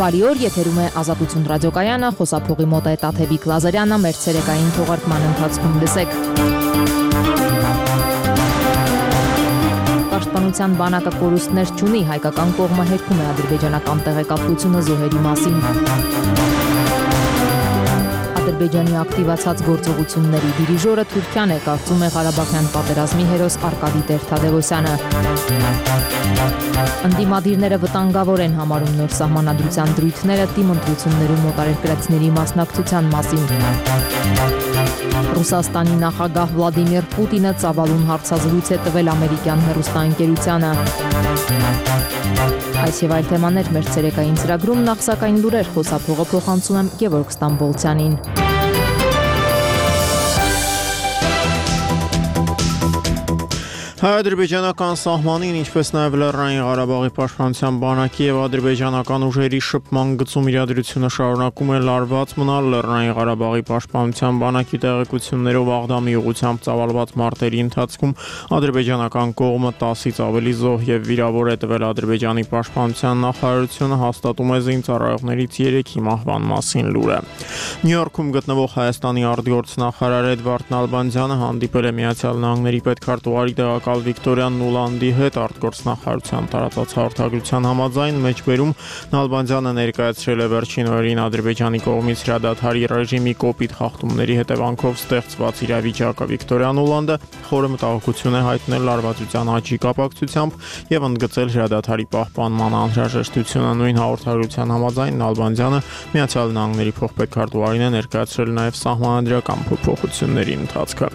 Բարի օր, եթերում է Ազատություն ռադիոկայանը, խոսափողի մոտ է Տաթևիկ Լազարյանը, մեր ցերեկային թողարկման ընթացքում լսեք։ Պաշտպանության բանակը կորուստներ չունի, հայկական կողմը հերքում է ադրբեջանական տեղեկատվությունը զոհերի մասին։ Ադրբեջանի ակտիվացած գործողությունների դիրիժորը Թուրքիան է, կարծում է Ղարաբաղյան պատերազմի հերոս Արկադի Տեր-Թադևոսյանը։ Ընդդիմադիրները վտանգավոր են համարում նոր սահմանադրության դրույթները թիմ ընտրություններում մոտարերկրացիների մասնակցության մասին։ Ռուսաստանի նախագահ Վլադիմիր Պուտինը ծավալուն հարցազրույց է տվել ամերիկյան հեռուստաընկերությանը։ Այս եւ այլ թեմաներ մեր ցերեկային ծրագրում, նախ սակայն լուրեր, խոսափողը փոխանցում եմ Գևորգ Ստամբոլցյանին։ Հայ-ադրբեջանական սահմանին, ինչպես նաև Լեռնային Ղարաբաղի պաշտպանության բանակի եւ ադրբեջանական ուժերի շփման գծում իրադրությունը շարունակում է լարված մնալ Լեռնային Ղարաբաղի պաշտպանության բանակի տեղեկություններով Աղդամի ուղղությամբ ծավալված մարտերի ընթացքում ադրբեջանական կողմը 10-ից ավելի զոհ եւ վիրավոր է տվել Ադրբեջանի պաշտպանության նախարարությունը հաստատում է զինծառայողներից 3-ի մահվան մասին լուրը։ Նյու Յորքում գտնվող Հայաստանի արտգործնախարար Էդվարդ Նալբանդյանը հանդիպել է Միացյալ Նահանգների պետքարտուղարի Վիկտորիա Նուլանդի հետ արտգործնախարարության տարածած հաղորդագրության համաձայն մեջբերում Նալբանդյանը ներկայացրել է վերջին օրերին Ադրբեջանի կողմից հրադադարի ռեժիմի կոպիտ խախտումների հետևանքով ստեղծված իրավիճակը։ Վիկտորիա Նուլանդը խորը մտահոգություն է հայտնել լարվածության աճի կապակցությամբ եւ ընդգծել հրադադարի պահպանման անհրաժեշտությունը։ Նույն հաղորդագրության համաձայն Նալբանդյանը Միացյալ Նահանգների փոխպետքարտուղարին է ներկայացրել նաեւ սահմանադրական փոփոխությունների ընթացքը։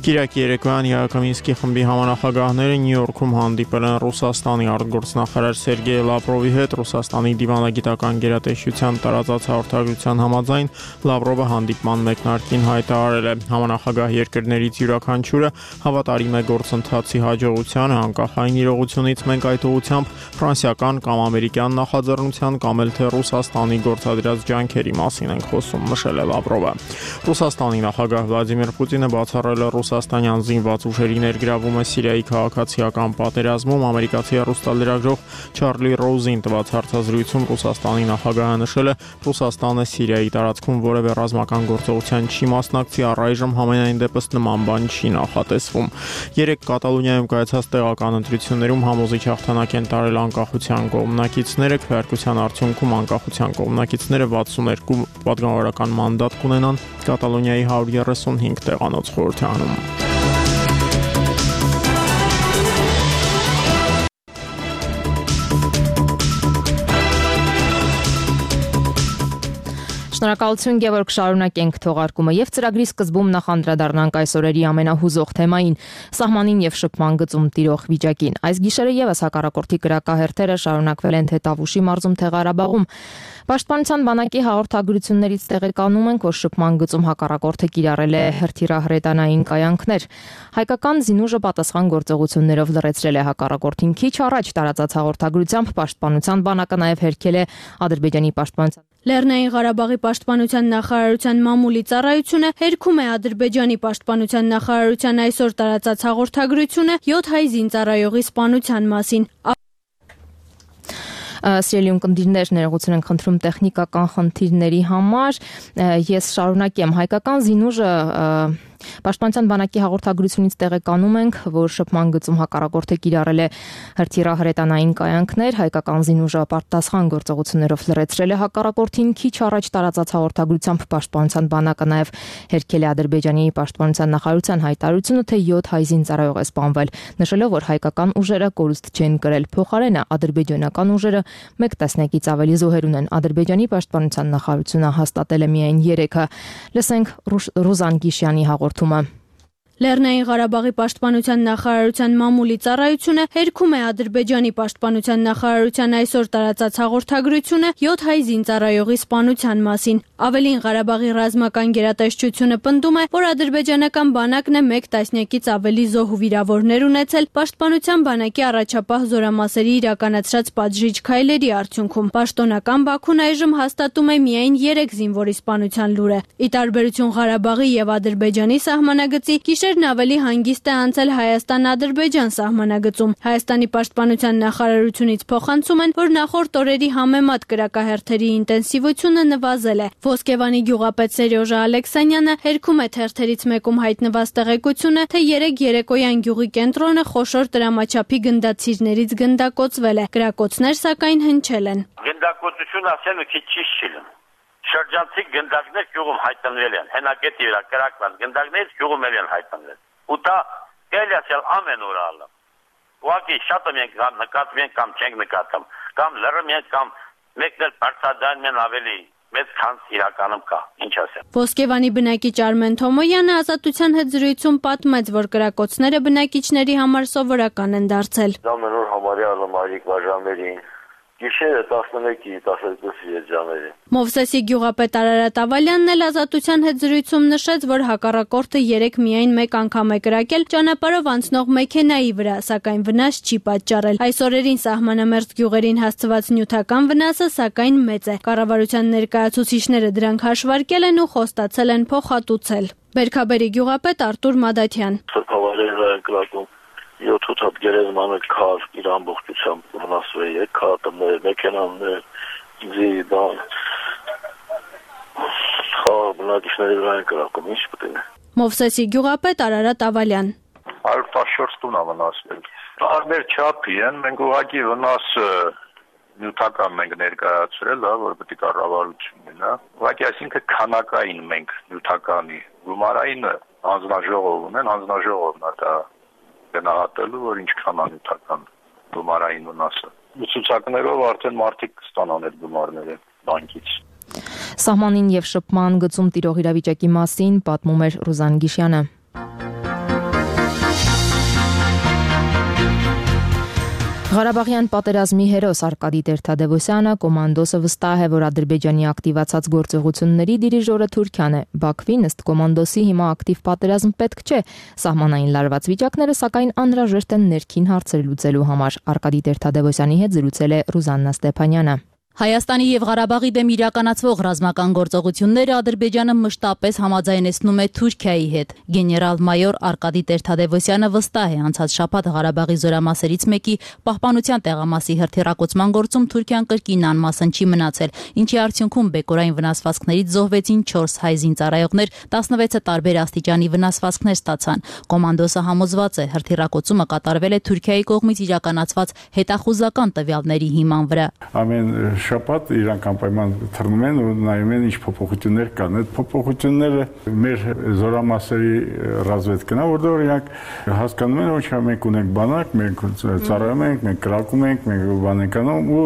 Կիրակի երեկոյան Յակոմինսկի խմբի Նախագահները Նյու Յորքում հանդիպել են Ռուսաստանի արտգործնախարար Սերգեյ Լավրովի հետ։ Ռուսաստանի դիվանագիտական գերատեսչության տարածած հաղորդագրության համաձայն Լավրովը հանդիպման մեկնարկին հայտարարել է. Համանախագահ երկրներից յուրաքանչյուրը հավատարիմ է գործընթացի հաջողությանը, անկախ այն իրողությունից մենք այդ ուղղությամբ ֆրանսիական կամ ամերիկյան նախաձեռնության կամ էլ թե Ռուսաստանի գործադրած ջանքերի մասին ենք խոսում, նշել է Լավրովը։ Ռուսաստանի նախագահ Վլադիմիր Պուտինը բացառել է ռուսաստանյան զինված ուժերի ներգրավումը Սիրիայի քաղաքացիական պատերազմում ամերիկացի հեռուստալրագրող Չարլի Ռոուզին տված հարցազրույցում Ռուսաստանի նախագահը նշել է, Ռուսաստանը Սիրիայի տարածքում որևէ ռազմական գործողության չի մասնակցի, առայժմ համենայն դեպս նման բան չի նախատեսվում։ Երեկ Կատալոնիայում կայացած տեղական ընտրություններում համոզիչ հաղթանակ են տարել անկախության կողմնակիցները, քվեարկության արդյունքում անկախության կողմնակիցները 62 պատգամավորական մանդատ կունենան Կատալոնիայի 135 տեղանոց խորհրդարանում։ Շնորհակալություն Գևորգ, շարունակենք թողարկումը եւ ծրագրի սկզբում նախ անդրադառնանք այս օրերի ամենահուզող թեմային՝ սահմանին եւ շփման գծում տիրող վիճակին։ Այս գիշերը եւս հակառակորդի կրակահերթերը շարունակվել են թե Տավուշի մարզում, թե Ղարաբաղում։ Պաշտպանության բանակի հաղորդագրություններից տեղեկանում ենք, որ շփման գծում հակառակորդը կիրառել է հրթիռահրետանային կայանքներ։ Հայկական զինուժը պատասխան գործողություններով լրացրել է հակառակորդին։ Քիչ առաջ տարածած հաղորդագրությամբ պաշտպանության բանակը նաեւ հերքել է Ադրբեջանի պաշտպանության Լեռնային Ղարաբաղի պաշտպանության նախարարության մամուլի ծառայությունը հերքում է Ադրբեջանի պաշտպանության նախարարության այսօր տարածած հաղորդագրությունը 7 հայ զինծառայողի սպանության մասին։ Սիրելի ունկնդիրներ, ներողություն ենք խնդրում տեխնիկական խնդիրների համար։ Ես շարունակեմ։ Հայկական զինուժը Պաշտպանության բանակի հաղորդագրությունից տեղեկանում ենք, որ շփման գծում հակառակորդը կիրառել է հրթիռահրետանային կայանքներ, հայկական զինուժը պատասխան գործողություններով լրացրել է հակառակորդին։ Քիչ առաջ տարածած հաղորդագրությամբ պաշտպանության բանակը նաև հերքել է Ադրբեջանի պաշտպանության նախարարության հայտարարությունը, թե 7 հայ զինծառայող է սպանվել, նշելով, որ հայկական ուժերը կորուստ չեն կրել։ Փոխարենը ադրբեջանական ուժերը 1 տասնյակից ավելի զոհեր ունեն։ Ադրբեջանի պաշտպանության նախարարությունը հաստատել է միայն 3-ը։ Լսենք Ռուզան Գիշյանի հաղորդումը։ Լեռնային Ղարաբաղի պաշտպանության նախարարության մամուլի ծառայությունը հերքում է Ադրբեջանի պաշտպանության նախարարության այսօր տարածած հաղորդագրությունը 7 հայ զինծառայողի սպանության մասին։ Ավելին, Ղարաբաղի ռազմական գերատեսչությունը պնդում է, որ ադրբեջանական բանակն է 1 տասնյակից ավելի զոհ ու վիրավորներ ունեցել պաշտպանության բանակի առաջապահ զորամասերի իրականացրած պատժիչ քայլերի արդյունքում։ Պաշտոնական Բաքուն այժմ հաստատում է միայն 3 զինվորի սպանության լուրը։ Ի տարբերություն Ղարաբաղի եւ Ադրբեջանի սահմանագծի, Վերջերն ավելի հանգիստ է անցել Հայաստան-Ադրբեջան սահմանագծում։ Հայաստանի պաշտպանության նախարարությունից փոխանցում են, որ նախորդ օրերի համեմատ կրակահերթերի ինտենսիվությունը նվազել է։ Ոսկեվանի գյուղապետ Սերյոժա Ալեքսանյանը հերքում է թերթերից մեկում հայտնված տեղեկությունը, թե 3 երեկոյան գյուղի կենտրոնը խոշոր տրամաչափի գնդացիրներից գնդակոծվել է։ Կրակոցներ սակայն հնչել են։ Գնդակոծություն ասել ու քիչ ճիշտ չի։ Շրջանցի գնդակներ գյուղում հայտնվել են, հենակետի վրա կրակված գնդակներից գյուղում են հայտնվել։ Ու դա կելիացել ամեն օր ալը։ Ուղղակի շատը մենք նկատում ենք կամ չենք նկատում, կամ լրում ենք կամ մեկն էլ բարձրադարն են ավելի մեծ քան իրականում կա, ինչ ասեմ։ Ոսկեվանի բնակիչ Արմեն Թոմոյանը Ազատության հետ զրույցում պատմեց, որ կրակոցները բնակիչների համար սովորական են դարձել։ Ամեն օր համարյա մայրիկ վաժամերին Գիշերը 11-ի 12-ի երջաներին։ Մովսեսի գյուղապետ Արարատ Ավալյանն էլ Ազատության հետ զրույցում նշեց, որ հակառակորդը 3 միայն մեկ անգամ է կրակել ճանապարհով անցնող մեքենայի վրա, սակայն վնաս չի պատճառել։ Այս օրերին սահմանամերձ գյուղերին հասցված նյութական վնասը սակայն մեծ է։ Կառավարության ներկայացուցիչները դրանք հաշվարկել են ու խոստացել են փոխհատուցել։ Բերքաբերի գյուղապետ Արտուր Մադաթյան։ 7-8 հատ գերեզմանը քար իր ամբողջությամբ վնասվել է, քարտներ, մեքենաներ, զիդան, բնակիչների վրա են կրակում, ինչ պետք է։ Մովսեսի գյուղապետ Արարատ Ավալյան։ 114 տուն է վնասվել։ Տարբեր չափի են, մենք ուղղակի վնասը նյութական մենք ներկայացրել, որ պետք է կառավարություն լինի, ուղղակի այսինքն քանակային մենք նյութականի, գումարային հանձնաժողով ունեն, հանձնաժողովն է դա գնահատելու, որ ինչքան անյութական գումարային վնասը։ Ցուցակներով արդեն մարդիկ կստանան այդ գումարները բանկից։ Սահմանին եւ շփման գծում տիրող իրավիճակի մասին պատմում էր Ռուզան Գիշյանը։ Ղարաբաղյան պատերազմի հերոս Արկադի Տեր-Թադևոսյանը կոմանդոսը վստահ է, որ Ադրբեջանի ակտիվացած գործողությունների դիրիժորը Թուրքիան է։ Բաքվին ըստ կոմանդոսի հիմա ակտիվ պատերազմ պետք չէ։ Սահմանային լարված վիճակները սակայն անհրաժեշտ են ներքին հարցեր լուծելու համար։ Արկադի Տեր-Թադևոսյանի հետ զրուցել է Ռուզաննա Ստեփանյանը։ Հայաստանի եւ Ղարաբաղի դեմ իրականացվող ռազմական գործողությունները Ադրբեջանը մշտապես համաձայնեցնում է Թուրքիայի հետ։ Գեներալ-մայոր Արկադի Տեր-Թադևոսյանը վստահ է անցած շաբաթ Ղարաբաղի զորամասերից մեկի պահպանության տեղամասի հրթիռակոծման գործում Թուրքիան կրկին անմասն չի մնացել, ինչի արդյունքում բեկորային վնասվածքներից զոհվեցին 4 հայ զինծառայողներ, 16-ը տարբեր աստիճանի վնասվածքներ ստացան։ Կոմանդոսը համոզված է, հրթիռակոծումը կատարվել է Թուրքիայի կողմից իրականացված հետախուզական տվյալների հիման վրա։ Շաբաթ իրանք անպայման թռնում են ու նայում են ինչ փոփոխություններ կան։ Այդ փոփոխությունները մեր զորամասերի ռազմետքն է, որտեղ իրանք հասկանում են, որ մենք ունենք բանակ, մենք ծառայում ենք, մենք կրակում ենք, մենք բան ենք անում ու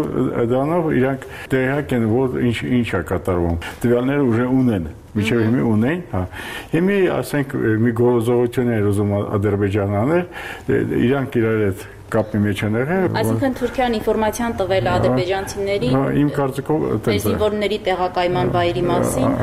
դրանով իրանք տեղյակ են, որ ինչ է կատարվում։ Տվյալները ուժը ունեն։ Միջև հիմի ունեն, հա։ Հիմի ասենք մի գործողություն է ուզում Ադրբեջանը անել, իրանք իրար հետ կապի մեջ են եղել։ Այսինքն Թուրքիան ինֆորմացիան տվել է ադրբեջանցիների իմ կարծիքով զինվորների տեղակայման վայրի մասին,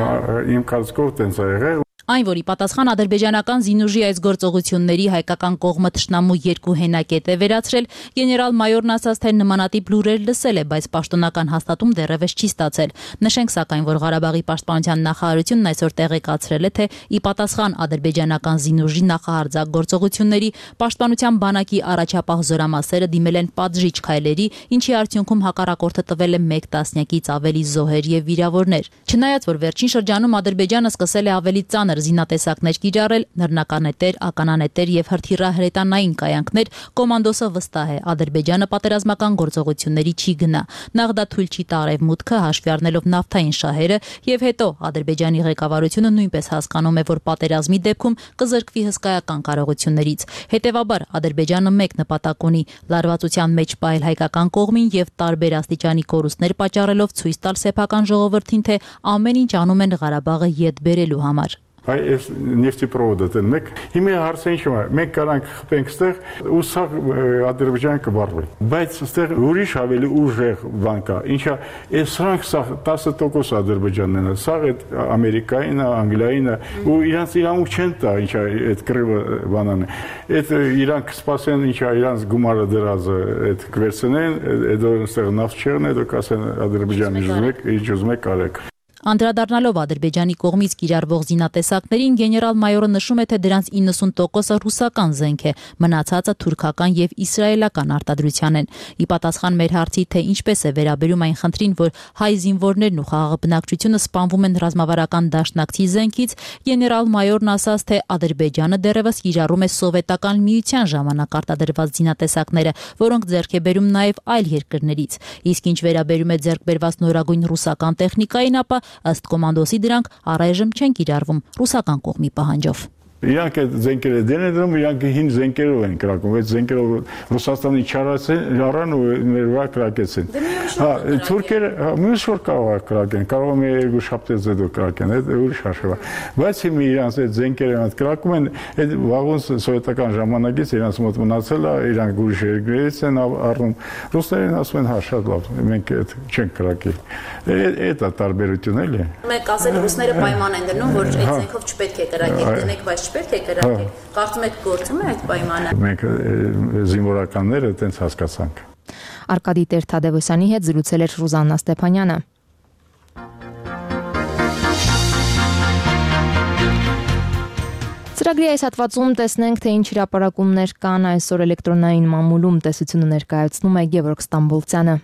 իմ կարծիքով տենց է եղել։ Այն, որ ի պատասխան ադրբեջանական զինուժի այս գործողությունների հայկական կողմը թշնամու 2 հենակետ է վերացրել, գեներալ-մայորն ասաց, թե նմանատիպ լուրեր լսել է, բայց պաշտոնական հաստատում դեռևս չի ստացել։ Նշենք սակայն, որ Ղարաբաղի պաշտպանության նախարարությունն այսօր տեղեկացրել է, թե ի պատասխան ադրբեջանական զինուժի նախահարձակ գործողությունների պաշտպանության բանակի առաջապահ զորամասերը դիմել են պատժիչ քայլերի, ինչի արդյունքում հակառակորդը տվել է 1 տասնյակից ավելի զոհեր եւ վիրավորներ։ Չնայած որ վերջին շրջանում Ադրբեջանը սկսել է ավելի ծանր զինատեսակներ կիրառել, նռնականետեր, ականանետեր եւ հրթիռահրետանային կայանքներ, կոմանդոսը վստահ է, Ադրբեջանը պատերազմական գործողությունների չի գնա։ Նախ դա թույլ չի տա արևմուտքը, հաշվի առնելով նավթային շահերը, եւ հետո Ադրբեջանի ղեկավարությունը նույնպես հասկանում է, որ պատերազմի դեպքում կզրկվի հսկայական կարողություններից։ Հետևաբար Ադրբեջանը մեկ նպատակ ունի՝ լարվածության մեջ պահել հայկական կողմին եւ տարբեր աստիճանի կորուստներ պատճառելով ցույց տալ սեփական ժողովրդին, թե ամեն ինչ անում են Ղարաբաղը յետ բերելու համար։ Այս նեֆտեպրովոդը դեն մեկ հիմա հարցը ինչ է մենք կարանք խփենք ստեղ ու սա Ադրբեջանը կբառվի բայց ստեղ ուրիշ ավելի ուժեղ բան կա ինչա այս սրանք սա 10% Ադրբեջանն է սա այդ Ամերիկային Անգլիային ու իրանց իրանք չեն տա ինչա այդ կռիվը բանան այդ իրանք սպասեն ինչա իրանց գումարը դրած այդ կվերցնեն այդ ստեղ նավթ չեղն այդ կասեն Ադրբեջանի ուզում եք արեք։ Անդրադառնալով Ադրբեջանի կողմից կիրառվող զինատեսակներին, գեներալ-մայորը նշում է, թե դրանց 90%-ը ռուսական զենք է, մնացածը թուրքական եւ իսրայելական արտադրության են։ Ի պատասխան մեր հարցի, թե ինչպես է վերաբերում այն խնդրին, որ հայ զինվորներն ու խաղաղ բնակչությունը սպանվում են ռազմավարական դաշնակցի զենքից, գեներալ-մայորն ասաց, թե Ադրբեջանը դեռևս կիրառում է սովետական միության ժամանակ արտադրված զինատեսակները, որոնք ձեռք է բերում նաեւ այլ երկրներից։ Իսկ ինչ վերաբերում է ձեռք բերված նորագույն ռուսական տեխնիկային, ապա ըստ կոմանդոսի դրանք առայժմ չեն կիրառվում ռուսական կողմի պահանջով։ Իրանք այդ զենքերը դեն են դնում, իրանք հին զենքերով են կրակում, այդ զենքերով Ռուսաստանի չարան ու մեր վրա կրակեցին։ Թուրքերը մյուս որ կարող է կրակեն, կարող է մի երկու շաբթից հետո կրակեն, այդ ուրիշ հաշվա։ Բայց հիմա իրանք այդ զենքերը այդ կրակում են, այդ վաղուց սովետական ժամանակից իրանք մոտ մնացել է, իրանք ուրիշ երկրներից են առնում։ Ռուսներն ասում են, հա, շատ լավ, մենք այդ չենք կրակի։ Այդ է տարբերությունը, էլի։ Մեկ ասել ռուսները պայման են դնում, որ այդ զենքով չպետք է կրակել, դնեք, բայց չպետք է կրակել։ Կարծում եք գործում է այդ պայմանը։ Մենք զինվորականները այդպես հասկացանք։ Արկադի Տեր-Թադևոսյանի հետ զրուցել էր Ռուզաննա Ստեփանյանը։ Ծրագրի այս հատվածում տեսնենք, թե ինչ հրապարակումներ կան այսօր էլեկտրոնային մամուլում, տեսությունը ներկայացնում է Գևորգ Ստամբոլցյանը։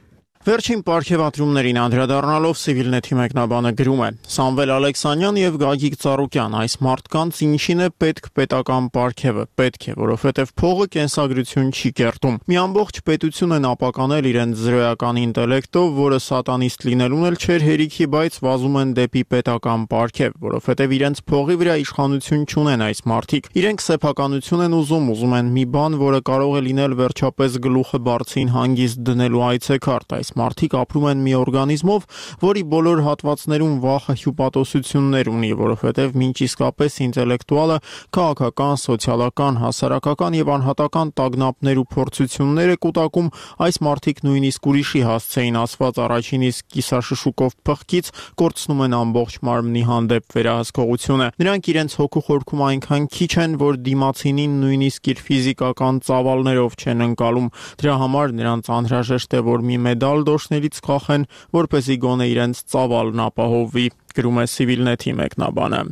Վերջին պարգևատրումներին անդրադառնալով Civilnet-ի մեկնաբանը գրում է. Սամվել Ալեքսանյան եւ Գագիկ Ծառուկյան, այս մարդկանց ինչին է պետք պետական պարգևը, պետք է, որովհետեւ փողը կենսագրություն չի կերտում։ Մի ամբողջ պետություն են ապականել իրենց զրոյական ինտելեկտով, որը սատանիստ լինելուն էլ չէր հերիքի, բայց վազում են դեպի պետական պարգև, որովհետեւ իրենց փողի վրա իշխանություն չունեն այս մարդիկ։ Իրենք սեփականություն են ուզում են մի բան, որը կարող է լինել վերջապես գլուխը բարձին հանգիստ դնելու այցեքարտ։ Այս մարդիկ ապրում են մի օրգանիզմով, որի բոլոր հատվածներում վախը հյուպատոսություններ ունի, որովհետև մինչ իսկապես ինտելեկտուալը քաղաքական, սոցիալական, հասարակական եւ անհատական տագնապներ ու փորձություններ է կուտակում, այս մարդիկ նույնիսկ ուրիշի հասցեին ասված առաջին իսկ կիսաշշուկով փղկից կորցնում են ամբողջ մարմնի հանդեպ վերահսկողությունը։ Նրանք իրենց հոգու խորքում այնքան քիչ են, որ դիմացինին նույնիսկ իր ֆիզիկական ծավալներով չեն ընկալում։ Դրա համար նրանց անհրաժեշտ է, որ մի մեդալ դոշներից կախեն, որպեսզի գոնե իրենց ծավալն ապահովվի, գրում է Civilnet-ի մեկնաբանը։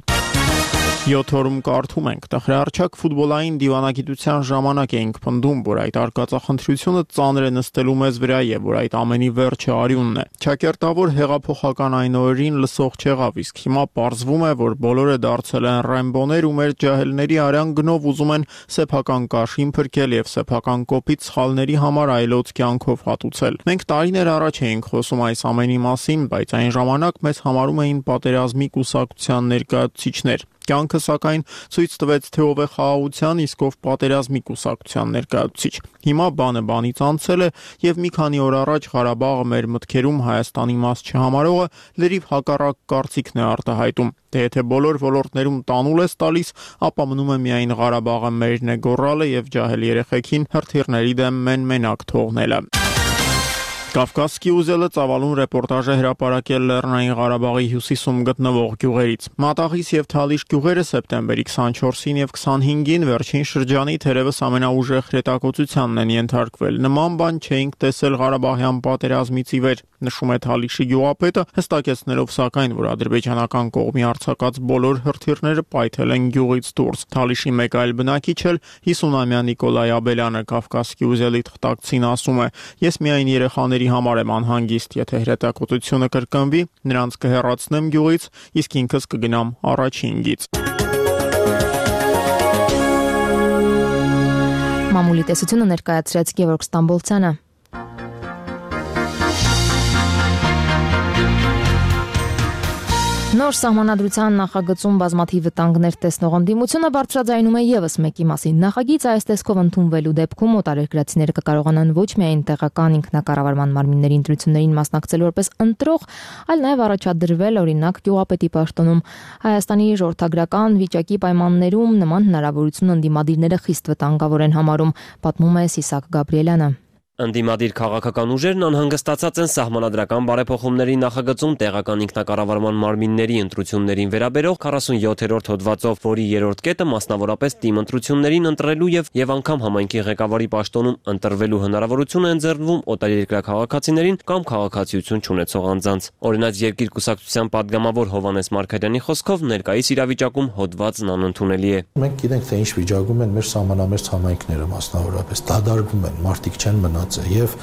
7 օրում կարդում ենք, տխրահարչակ ֆուտբոլային դիվանագիտության ժամանակ էինք պնդում, որ այդ արկածախնդրությունը ծանր է նստելու մեզ վրա եւ որ այդ ամենի վերջը արյունն է։ Չակերտավոր հեղափոխական այն օրերին լսող չեղավ, իսկ հիմա պարզվում է, որ բոլորը դարձել են ռեմբոներ ու մեր ջահելների արյան գնով ուզում են սեփական կաշին փրկել եւ սեփական կոպիտ սխալների համար այլոց կյանքով հատուցել։ Մենք տարիներ առաջ էինք խոսում այս ամենի մասին, բայց այն ժամանակ մեզ համարում էին պատերազմի կուսակցության ներկայացուցիչներ։ Կյանքը սակայն ցույց տվեց, թե ով է խաղաղության, իսկ ով պատերազմի կուսակցության ներկայացուցիչ։ Հիմա բանը բանից անցել է եւ մի քանի օր առաջ Ղարաբաղը մեր մտքերում Հայաստանի մաս չհամարողը լրիվ հակառակ կարծիքն է արտահայտում։ Թե եթե բոլոր ոլորտներում տանուլ ես տալիս, ապա մնում է միայն Ղարաբաղը մերն է գոռալը եւ ջահել երեխեքին հրթիռների դեմ մենակ թողնելը։ Կավկասկի ուզելը ծավալուն ռեպորտաժ է հրապարակել Լեռնային Ղարաբաղի հյուսիսում գտնվող գյուղերից։ Մատաղիս եւ Թալիշ գյուղերը սեպտեմբերի 24-ին եւ 25-ին վերջին շրջանի թերևս ամենաուժեղ հրետակոծությանն են ենթարկվել։ Նման բան չէինք տեսել Ղարաբաղյան պատերազմից ի վեր, նշում է Թալիշի գյուղապետը, հստակեցնելով սակայն, որ ադրբեջանական կողմի արձակած բոլոր հրթիռները պայթել են գյուղից դուրս։ Թալիշի մեկ այլ բնակիչ էլ 50-ամյա Նիկոլայ Աբելյանը Կավկասկի ուզելի թղթակցին ասում է. Ես միայն երեխաների համար եմ անհանգիստ, եթե հրետակոծությունը կրկնվի, նրանց կհեռացնեմ գյուղից, իսկ ինքս կգնամ առաջին գիծ։ Մամուլի տեսությունը ներկայացրեց Գևորգ Ստամբոլցյանը։ Նոր սահմանադրության նախագծում բազմաթիվ վտանգներ տեսնող ընդդիմությունը բարձրաձայնում է եւս մեկի մասին։ Նախագիծը այս տեսքով ընդունվելու դեպքում օտարերկրացիները կկարողանան ոչ միայն տեղական ինքնակառավարման մարմինների ընտրություններին մասնակցել որպես ընտրող, այլ նաեւ առաջադրվել օրինակ գյուղապետի պաշտոնում։ Հայաստանի ժողովրդագրական վիճակի պայմաններում նման հնարավորություն ընդդիմադիրները խիստ վտանգավոր են համարում, պատմում է Սիսակ Գաբրիելյանը։ Ընդդիմադիր քաղաքական ուժերն անհանգստացած են սահմանադրական բարեփոխումների նախագծում տեղական ինքնակառավարման մարմինների ընտրություններին վերաբերող 47-րդ հոդվածով, որի երրորդ կետը մասնավորապես թիմ ընտրություններին ընտրելու եւ անգամ համայնքի ղեկավարի պաշտոնում ընտրվելու հնարավորություն է ընձեռվում օտարերկրյա քաղաքացիներին կամ քաղաքացիություն չունեցող անձանց։ Օրինակ Երկիր կուսակցության падգամավոր Հովհաննես Մարգարյանի խոսքով ներկայիս իրավիճակում հոդվածն անընդունելի է։ Մենք գիտենք, թե ինչ վիճակում են մեր սահմանամերձ համայնքները մասնավորապես, դադարվում են, մարդիկ չեն մնացել եւ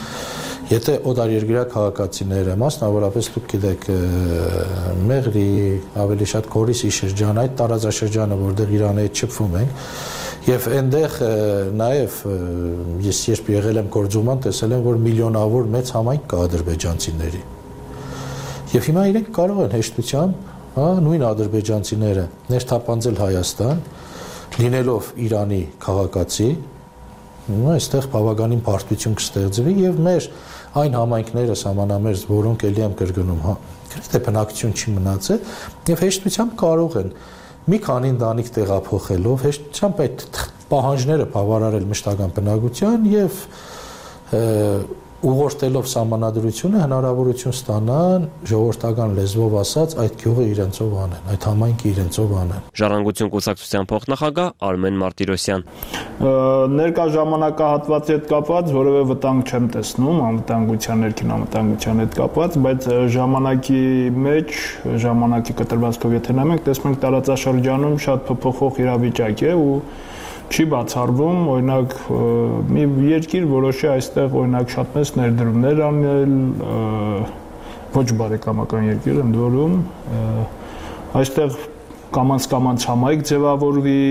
եթե օտարերկրյա քաղաքացիները, մասնավորապես դուք գիտեք, Մեղրի, ավելի շատ Գորիսի շրջան, այդ տարածաշրջանը, որտեղ Իրանի հետ շփվում ենք, եւ այնտեղ նաեւ ես երբ եղել եմ գործուման, տեսել եմ, որ միլիոնավոր մեծ համայնք կա ադրբեջանցիների։ Եվ հիմա իրենք կարող են հեշտությամբ, նույն ադրբեջանցիները ներթափանցել Հայաստան, լինելով Իրանի քաղաքացի, այստեղ բավականին բարդություն կստեղծվի եւ մեր այն համայնքները սահմանամերձ, որոնք ելի եմ կրկնում, գրեթե բնակչություն չի մնացել եւ հեշտությամբ կարող են մի քանի ընտանիք տեղափոխելով հեշտությամբ այդ պահանջները բավարարել մշտական բնակության եւ ուղղորդելով սահմանադրությունը հնարավորություն ստանան ժողովրդական լեզվով ասած այդ գյուղը իրենցով անեն, այդ համայնքը իրենցով անեն։ Ժառանգություն կուսակցության փոխնախագահ Արմեն Մարտիրոսյան։ Ներկա ժամանակահատվածի հետ կապված որևէ վտանգ չեմ տեսնում, անվտանգության ներքին անվտանգության հետ կապված, բայց ժամանակի մեջ, ժամանակի կտրվածքով եթե նայում ենք, տեսնում ենք տարածաշրջանում շատ փոփոխող իրավիճակ է ու չի բացառվում, օրինակ մի երկիր որոշի այստեղ օրինակ շատ մեծ ներդրումներ անել, ոչ բարեկամական երկիր ընդ որում, այստեղ կամանց համայնք ձևավորվի,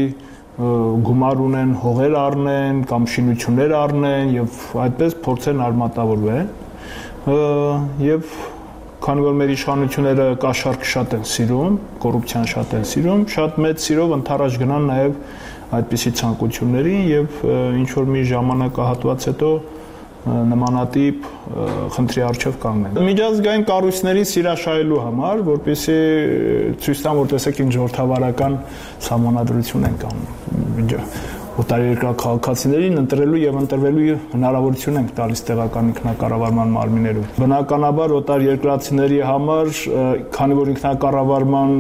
գումար ունեն, հողեր առնեն կամ շինություններ առնեն եւ այդպես փորձեն արմատավորվեն եւ քանի որ մեր իշխանությունները կաշառք շատ են սիրում, կոռուպցիան շատ են սիրում, շատ մեծ սիրով ընթരാճ գնան նաեւ այդպիսի ցանկություններին եւ ինչ որ մի ժամանակահատված հետո նմանատիպ խնդրի առջև կանգնեն։ Միջազգային կառույցների սիրաշահելու համար, որպեսզի ցույց տան, որ տեսեք ինչ ժողովրդավարական սահմանադրություն են կանում։ Օտարերկրյա քաղաքացիներին ընտրելու եւ ընտրվելու հնարավորություն ենք տալիս տեղական ինքնակառավարման մարմիններում։ Բնականաբար օտարերկրացիների համար, քանի որ ինքնակառավարման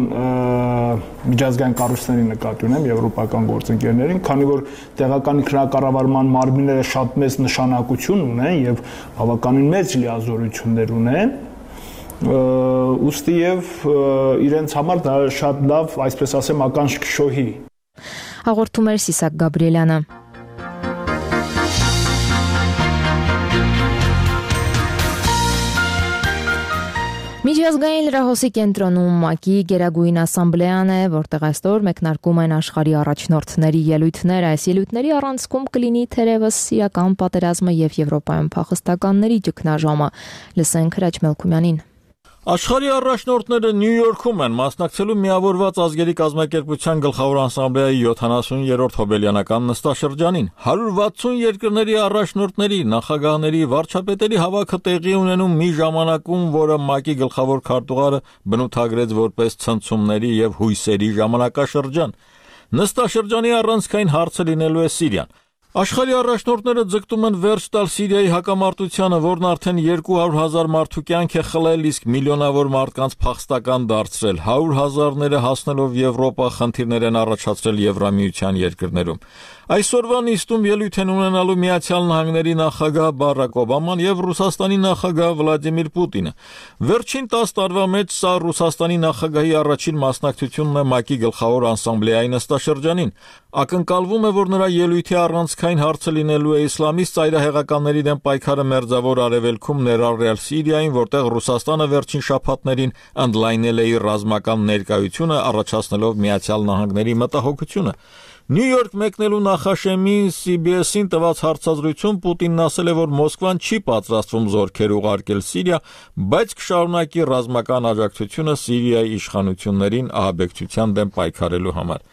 միջազգային կառույցների նկատի ունեմ եվրոպական գործընկերներին, քանի որ տեղական ինքնակառավարման մարմինները շատ մեծ նշանակություն ունեն եւ բավականին մեծ լիազորություններ ունեն, ուստի եւ իրենց համար դա շատ լավ, այսպես ասեմ, ականջ կշոհի։ Հաղորդում էր Սիսակ Գաբրիելյանը։ Միջազգային լրահոսի կենտրոնում ՄԱԿ-ի Գերագույն ասամբլեան է, որտեղ այսօր մեկնարկում են աշխարհի առաջնորդների ելույթները։ Այս ելույթների առանցքում կլինի թերևս Սիրիական պատերազմը եւ Եվրոպայում փախստականների ճգնաժամը։ Լսենք Հրաչ Մելքումյանին։ Աշխարհի առաջնորդները Նյու Յորքում են մասնակցելու Միավորված ազգերի կազմակերպության գլխավոր ասամբլեայի 70-րդ հոբելյանական նստաշրջանին։ 160 երկրների առաջնորդների, նախագահների, վարչապետերի հավաքը տեղի ունենում մի ժամանակում, որը ՄԱԿ-ի գլխավոր քարտուղարը բնութագրեց որպես ցնցումների եւ հույսերի ժամանակաշրջան։ Նստաշրջանի առանցքային հարցը լինելու է Սիրիան։ Աշխարհի առաջնորդները ձգտում են վերջ տալ Սիրիայի հակամարտությանը, որն արդեն 200,000 մարդու կյանք է խլել, իսկ միլիոնավոր մարդկանց փախստական դարձրել, 100,000-ները հասնելով Եվրոպա խնդիրներ են առաջացրել Եվրամիության երկրներում։ Այսօրվա նիստում ելույթ են ունենալու Միացյալ Նահանգների նախագահ Բարակ Օբաման եւ Ռուսաստանի նախագահ Վլադիմիր Պուտինը։ Վերջին 10 տարվա մեջ սա Ռուսաստանի նախագահի առաջին մասնակցությունն է ՄԱԿ-ի գլխավոր ասամբլեայի նստաշրջանին։ Ակնկալվում է, որ նրա ելույթի առանցքային հարցը լինելու է իսլամիստ ծայրահեղականների դեմ պայքարը Մերձավոր Արևելքում, ներառյալ Սիրիային, որտեղ Ռուսաստանը վերջին շաբաթներին ընդլայնել է իր ռազմական ներկայությունը, առաջացնելով Միացյալ Նահանգների մտահոգությունը։ Նյու Յորք մեկնելու նախաշեմին CBS-ին տված հարցազրույցում Պուտինն ասել է, որ Մոսկվան չի պատրաստվում զորքեր ուղարկել Սիրիա, բայց կշարունակի ռազմական աջակցությունը Սիրիայի իշխանություններին ահաբեկչության դեմ պայքարելու համար։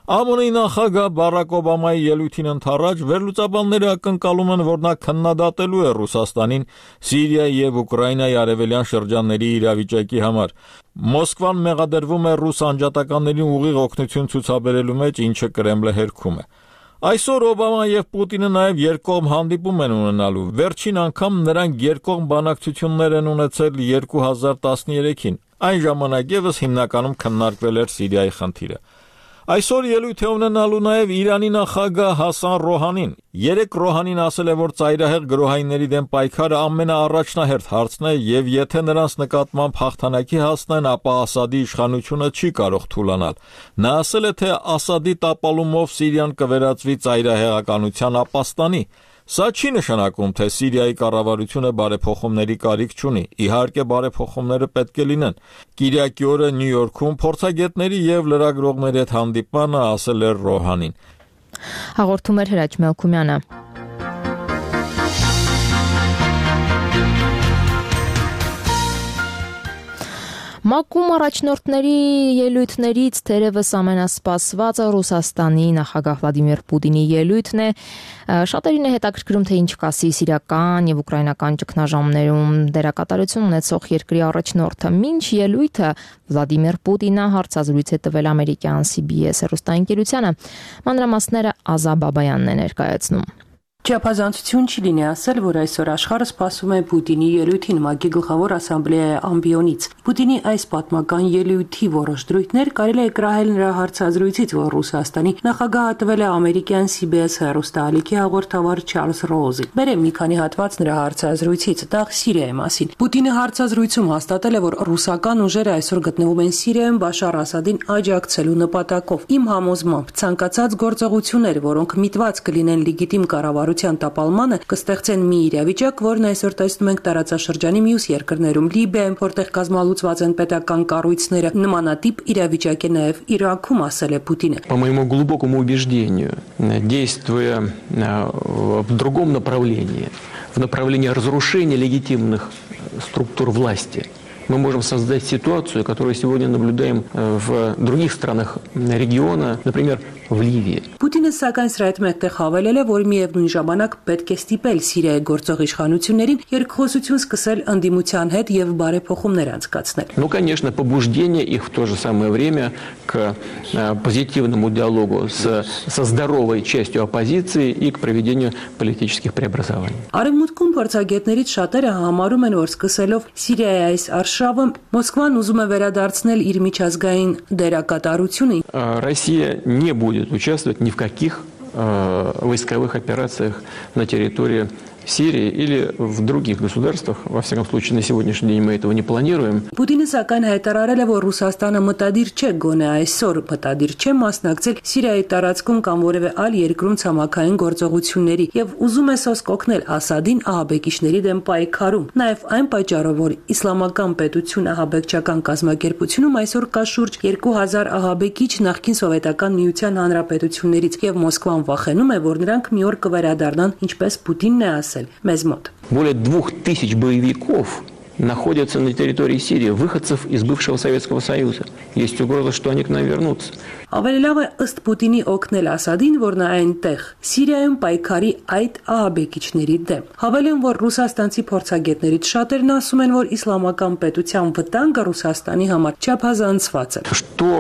ԱՄՆ-ի նախագահ Բարակ Օբամայի ելույթին ընդառաջ վերլուծաբանները ակնկալում են, որ նա քննադատելու է Ռուսաստանին Սիրիայի եւ Ուկրաինայի արևելյան շրջանների իրավիճակի համար։ Մոսկվան մեղադրվում է ռուս անջատականներին ուղիղ օգնություն ցուցաբերելու մեջ, ինչը Կրեմլը հերքում է։ Այսօր Օբաման եւ Պուտինը նաեւ երկկողմ հանդիպում են ունենալու։ Վերջին անգամ նրանք երկկողմ բանակցություններ են ունեցել 2013-ին։ Այն ժամանակ եւս հիմնականում քննարկվել էր Սիրիայի խնդիրը։ Այսօր ելույթ է ունենալու նաև Իրանի նախագահ Հասան Ռոհանին։ Երեք Ռոհանին ասել է, որ ծայրահեղ գրոհայինների դեմ պայքարը ամենաառաջնահերթ հարցն է եւ եթե նրանց նկատմամբ հաղթանակի հասնեն, ապա Ասադի իշխանությունը չի կարող թուլանալ։ Նա ասել է, թե Ասադի տապալումով Սիրիան կվերածվի ծայրահեղականության ապաստանի։ Սա չի նշանակում, թե Սիրիայի կառավարությունը բարեփոխումների կարիք չունի։ Իհարկե բարեփոխումները պետք է լինեն։ Կիրակի օրը Նյու Յորքում փորձագետների եւ լրագրողների հետ հանդիպմանը ասել էր Ռոհանին։ Հաղորդում էր Հրաչ Մելքումյանը։ ՄԱԿ-ում առաջնորդների ելույթներից թերևս ամենասպասվածը Ռուսաստանի նախագահ Վլադիմիր Պուտինի ելույթն է։ Շատերին է հետաքրքրում, թե ինչ կասի սիրիական եւ ուկրաինական ճգնաժամերում դերակատարություն ունեցող երկրի առաջնորդը։ Մինչ ելույթը Վլադիմիր Պուտինը հարցազրույց է տվել ամերիկյան CBS հեռուստաընկերությանը։ Մանրամասները Ազա Բաբայանն է ներկայացնում։ Չափազանցություն չի լինի ասել, որ այսօր աշխարհը սպասում է Պուտինի ելույթին ՄԱԿ-ի գլխավոր ասամբլեայի ամբիոնից։ Պուտինի այս պատմական ելույթի որոշ դրույթներ կարելի է կրահել նրա հարցազրույցից, որ Ռուսաստանի նախագահը տվել է ամերիկյան CBS հեռուստաալիքի հաղորդավար Չարլզ Ռոուզին։ Բերեմ մի քանի հատված նրա հարցազրույցից, դա Սիրիայի մասին։ Պուտինը հարցազրույցում հաստատել է, որ ռուսական ուժերը այսօր գտնվում են Սիրիայում Բաշար Ասադին աջակցելու նպատակով։ Իմ համոզմամբ ցանկացած գործողություններ, որոնք միտված կլինեն լեգիտիմ կառավարության տապալմանը, կստեղծեն մի իրավիճակ, որն այսօր տեսնում ենք տարածաշրջանի մյուս երկրներում, Լիբիայում, որտեղ կազմալուծված են պետական կառույցները, նմանատիպ իրավիճակ է նաև Իրաքում, ասել է Պուտինը։ По моему глубокому убеждению, действуя в другом направлении, в направлении разрушения легитимных структур власти, мы можем создать ситуацию, которую сегодня наблюдаем в других странах региона, например, в Ливии. Պուտինը սակայն սրա հետ մեկտեղ հավելել է, որ միևնույն ժամանակ պետք է ստիպել Սիրիայի գործող իշխանություններին երկխոսություն սկսել ընդդիմության հետ եւ բարեփոխումներ անցկացնել։ Ну, конечно, побуждение их в то же самое время к позитивному диалогу со здоровой частью оппозиции и к проведению политических преобразований. Արևմուտքում փորձագետներից շատերը համարում են, որ սկսելով Սիրիայի այս արշավը Մոսկվան ուզում է վերադարձնել իր միջազգային դերակատարությունը։ Россия не будет участвовать ни в каких войсковых операциях на территории Сирии или в других государствах. Во всяком случае, на сегодняшний день мы этого не планируем. Պուտինը սակայն հայտարարել է, որ Ռուսաստանը մտադիր չէ գոնե այսօր մտադիր չէ մասնակցել Սիրիայի տարածքում կամ որևէ այլ երկրում ցամաքային գործողությունների եւ ուզում է սոսկ օգնել Ասադին ահաբեկիչների դեմ պայքարում։ Նաեւ այն պատճառով, որ իսլամական պետություն ահաբեկչական կազմակերպությունում այսօր կա շուրջ 2000 ահաբեկիչ նախկին սովետական միության հանրապետություններից եւ Մոսկվան վախենում է, որ նրանք մի օր կվերադառնան, ինչպես Պուտինն է ասել։ Более 2000 боевиков находятся на территории Сирии, выходцев из бывшего Советского Союза. Есть угроза, что они к нам вернутся. Ավելի լավ է ըստ Պուտինի օգնել Ասադին, որ նա այնտեղ Սիրիայում պայքարի այդ ահաբեկիչների դեմ։ Հավելեմ, որ ռուսաստանցի փորձագետներից շատերն ասում են, որ իսլամական պետության վտանգը Ռուսաստանի համար չափազանցված է։ Что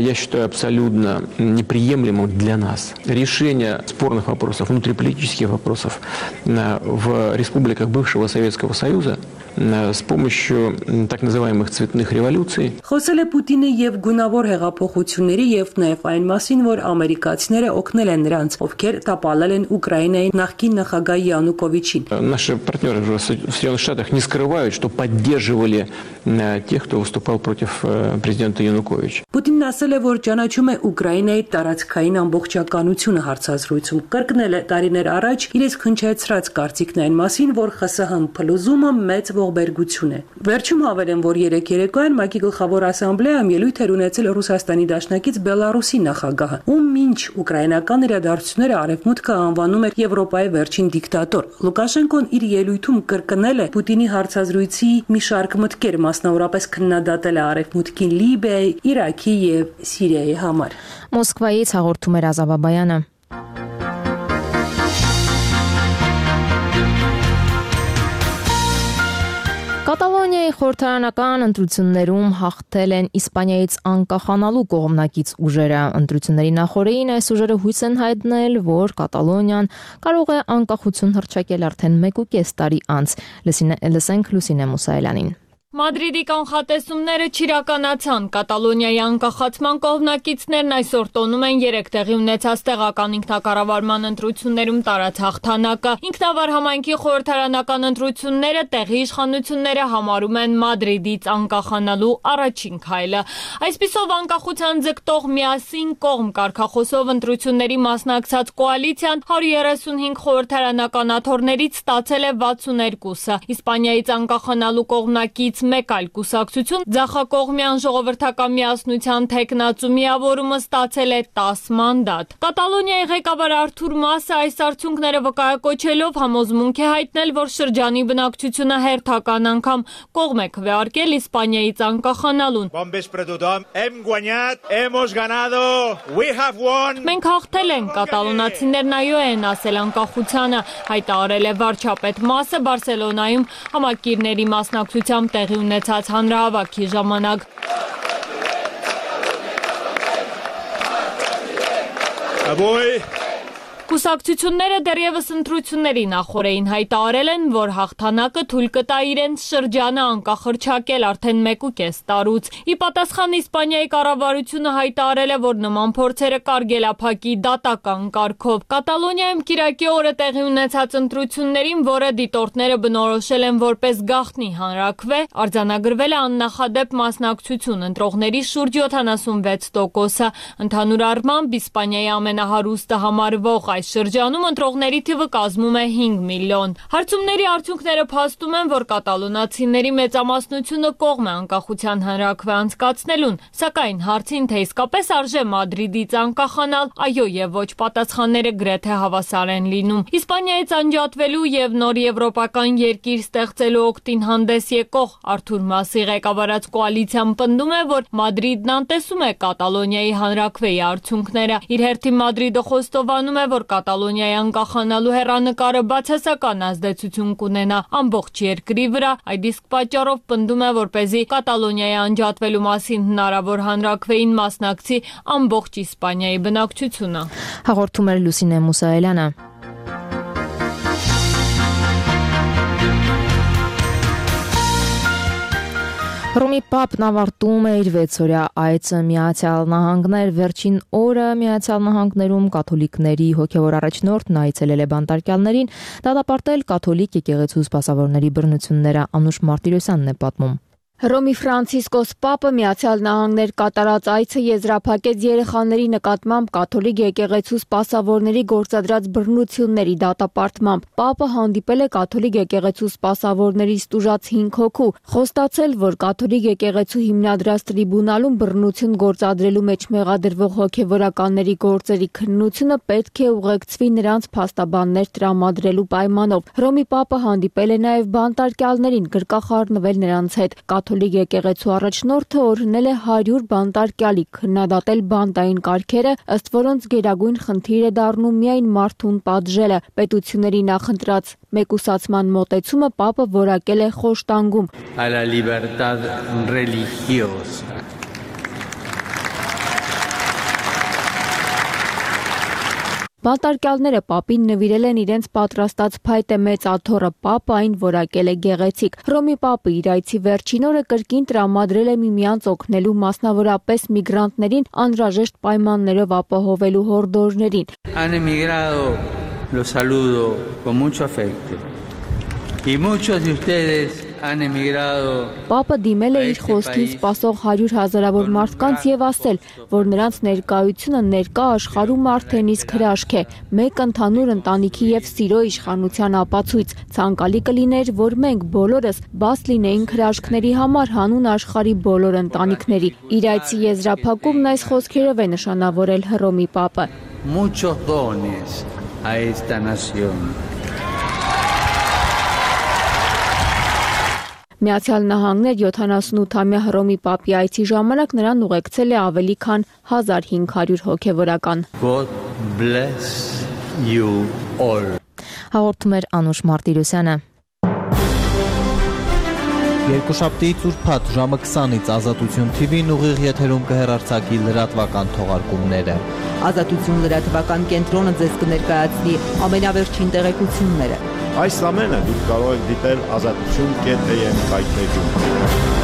я считаю абсолютно неприемлемым для нас. Решение спорных вопросов, внутриполитических вопросов в республиках бывшего Советского Союза с помощью так называемых цветных революций. Խոսել է Պուտինը եւ գունավոր հեղափոխությունների եւ նաեւ այն մասին, որ ամերիկացիները օգնել են նրանց, ովքեր տապալել են Ուկրաինայի նախկին նախագահ Յանուկովիչին։ Наши партнеры в Соединенных Штатах не скрывают, что поддерживали тех, кто выступал против президента Януковича. Պուտինն ասել է, որ ճանաչում է Ուկրաինայի տարածքային ամբողջականությունը հարցազրույցում։ Կրկնել է տարիներ առաջ իրենց քնչեցրած կարծիքն այն մասին, որ ԽՍՀՄ փլուզումը մեծ ողբերգություն է։ Վերջում հավելեմ, որ երեք երեկոյան ՄԱԿ-ի գլխավոր ասամբլեայում ելույթ էր ունեցել Ռուսաստանի դաշնակից Բելարուսի նախագահը, ում մինչ ուկրաինական իրադարձությունները արևմուտքը անվանում էր Եվրոպայի վերջին դիկտատոր։ Լուկաշենկոն իր ելույթում կրկնել է Պուտինի հարցազրույցի մի շարք մտքեր, մասնավորապես քննադատել է արևմուտքին Լիբիայի, Իրաքի եւ Սիրիայի համար։ Մոսկվայից հաղորդում էր Ազա Բաբայանը։ Կատալոնիայի խորհրդարանական ընտրություններում հաղթել են Իսպանիայից անկախանալու կողմնակից ուժերը։ Ընտրությունների նախօրեին այս ուժերը հույս են հայտնել, որ Կատալոնիան կարող է անկախություն հռչակել արդեն 1.5 տարի անց։ Լսենք Լուսինե Մուսայելյանին։ Մադրիդի կանխատեսումները չիրականացան։ Կատալոնիայի անկախացման կողմնակիցներն այսօր տոնում են 3 տեղի ունեցած տեղական ինքնակառավարման ընտրություններում տարած հաղթանակը։ Ինքնավար համայնքի խորհրդարանական ընտրությունները տեղի իշխանությունները համարում են Մադրիդից անկախանալու առաջին քայլը։ Այսպիսով անկախության ձգտող միասին կողմ կարգախոսով ընտրությունների մասնակցած կոալիցիան 135 խորհրդարանական աթոռներից ստացել է 62-ը։ Իսպանիայից անկախանալու կողմնակից մեկ այլ կուսակցություն ձախակողմյան ժողովրդական միասնության թեկնածու միավորումը ստացել է 10 մանդատ։ Կատալոնիայի ղեկավար Արթուր Մասը այս արդյունքները վկայակոչելով համոզմունք է հայտնել, որ շրջանի բնակչությունը հերթական անգամ կողմ է քվեարկել Իսպանիայից անկախանալուն։ Մենք հաղթել ենք, կատալոնացիներն այո են ասել անկախությանը, հայտարարել է վարչապետ Մասը Բարսելոնայում համակիրների մասնակցությամբ տեղի ունեցած հանրահավաքի ժամանակ։ Կուսակցությունները դեռևս ընտրությունների նախօրեին հայտարարել են, որ հաղթանակը թույլ կտա իրենց շրջանը անկախ հռչակել արդեն 1.5 տարուց։ Ի պատասխան Իսպանիայի կառավարությունը հայտարարել է, որ նման փորձերը կարգելափակի դատական կարգով։ Կատալոնիայում կիրակի օրը տեղի ունեցած ընտրություններին, որը դիտորդները բնորոշել են որպես գաղտնի հանրաքվե, արձանագրվել է աննախադեպ մասնակցություն, ընտրողների շուրջ 76%-ը։ Ընդհանուր առմամբ Իսպանիայի ամենահարուստը համարվող այս շրջանում ընտրողների թիվը կազմում է 5 միլիոն։ Հարցումների արդյունքները փաստում են, որ կատալոնացիների մեծամասնությունը կողմ է անկախության հանրաքվե անցկացնելուն, սակայն հարցին, թե իսկապես արժե Մադրիդից անկախանալ, այո եւ ոչ պատասխանները գրեթե հավասար են լինում։ Իսպանիայից անջատվելու եւ նոր եվրոպական երկիր ստեղծելու օգտին հանդես եկող Արթուր Մասի ղեկավարած կոալիցիան պնդում է, որ Մադրիդն անտեսում է Կատալոնիայի հանրաքվեի արդյունքները։ Իր հերթին Մադրիդը խոստովանում է, որ Կատալոնիայի անկախանալու հեռանկարը բացասական ազդեցություն կունենա ամբողջ երկրի վրա։ Այդ իսկ պատճառով պնդում է, որպեսզի Կատալոնիայի անջատվելու մասին հնարավոր հանրաքվեին մասնակցի ամբողջ Իսպանիայի բնակչությունը։ Հաղորդում էր Լուսինե Մուսայելյանը։ Ռոմի Պապն ավարտում է իր 6-օրյա այցը Միացյալ Նահանգներ։ Վերջին օրը Միացյալ Նահանգներում կաթոլիկների հոգևոր առաջնորդն այցելել է բանտարկյալներին, դատապարտել կաթոլիկ եկեղեցու սպասավորների բռնությունները։ Անուշ Մարտիրոսյանն է պատմում։ Ռոմի Ֆրանցիսկոս Պապը Միացյալ Նահանգներ կատարած այցը եզրափակեց երեխաների նկատմամբ կաթոլիկ եկեղեցու սպասավորների գործադրած բռնությունների դատապարտմամբ։ Պապը հանդիպել է կաթոլիկ եկեղեցու սպասավորներից տուժած 5 հոգու, խոստացել, որ կաթոլիկ եկեղեցու հիմնադրած տրիբունալում բռնություն գործադրելու մեջ մեղադրվող հոգևորականների գործերի քննությունը պետք է ուղեկցվի նրանց փաստաբաններ տրամադրելու պայմանով։ Ռոմի Պապը հանդիպել է նաև բանտարկյալներին, գրկախառնվել նրանց հետ։ Կաթոլիկ եկեղեցու առաջնորդը օրհնել է 100 բանտարկյալի, քննադատել բանտային կարգերը, ըստ որոնց գերագույն խնդիր է դառնում միայն մարդուն պատժելը։ Պետությունների նախընտրած մեկուսացման մոտեցումը Պապը որակել է խոշտանգում։ Բանտարկյալները Պապին նվիրել են իրենց պատրաստած փայտե մեծ աթոռը, Պապը այն որակել է գեղեցիկ։ Ռոմի Պապը իր այցի վերջին օրը կրկին տրամադրել է միմյանց օգնելու, մասնավորապես միգրանտներին անհրաժեշտ պայմաններով ապահովելու հորդորներին։ Han emigrado, los saludo con mucho afecto. Y muchos de ustedes han emigrado. Պապը դիմել է իր խոսքին սպասող 100 հազարավոր մարդկանց եւ ասել, որ նրանց ներկայությունը ներկա աշխարհում արդեն իսկ հրաշք է, մեկ ընդհանուր ընտանիքի եւ սիրո իշխանության ապացույց։ Ցանկալի կլիներ, որ մենք բոլորս բաց լինեինք հրաշքների համար հանուն աշխարհի բոլոր ընտանիքների։ Իր այցի եզրափակումն այս խոսքերով է նշանավորել Հռոմի Պապը։ Muchos dones a esta nación. Միացյալ Նահանգներ 78-ամյա Հռոմի Պապի այցի ժամանակ նրան ուղեկցել է ավելի քան 1500 հոգևորական։ God bless you all. Հաղորդում էր Անուշ Մարտիրոսյանը։ Երկուշաբթիից ուրբաթ ժամը 20-ից Ազատություն TV-ն ուղիղ եթերում կհեռարձակի լրատվական թողարկումները։ Ազատություն լրատվական կենտրոնը ձեզ կներկայացնի ամենավերջին տեղեկությունները։ Այս ամենը դուք կարող եք դիտել azatutun.am կայքեջում։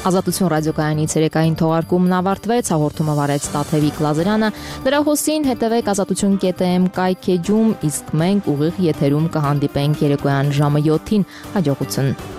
Ազատություն ռադիոկայանի ցերեկային թողարկումն ավարտվեց, հաղորդումը վարեց Տաթևիկ Լազարյանը, նրա հոսին հետևեք azatutun.am կայքեջում, իսկ մենք ուղիղ եթերում կհանդիպենք երեկոյան ժամը 7-ին, հաջողություն։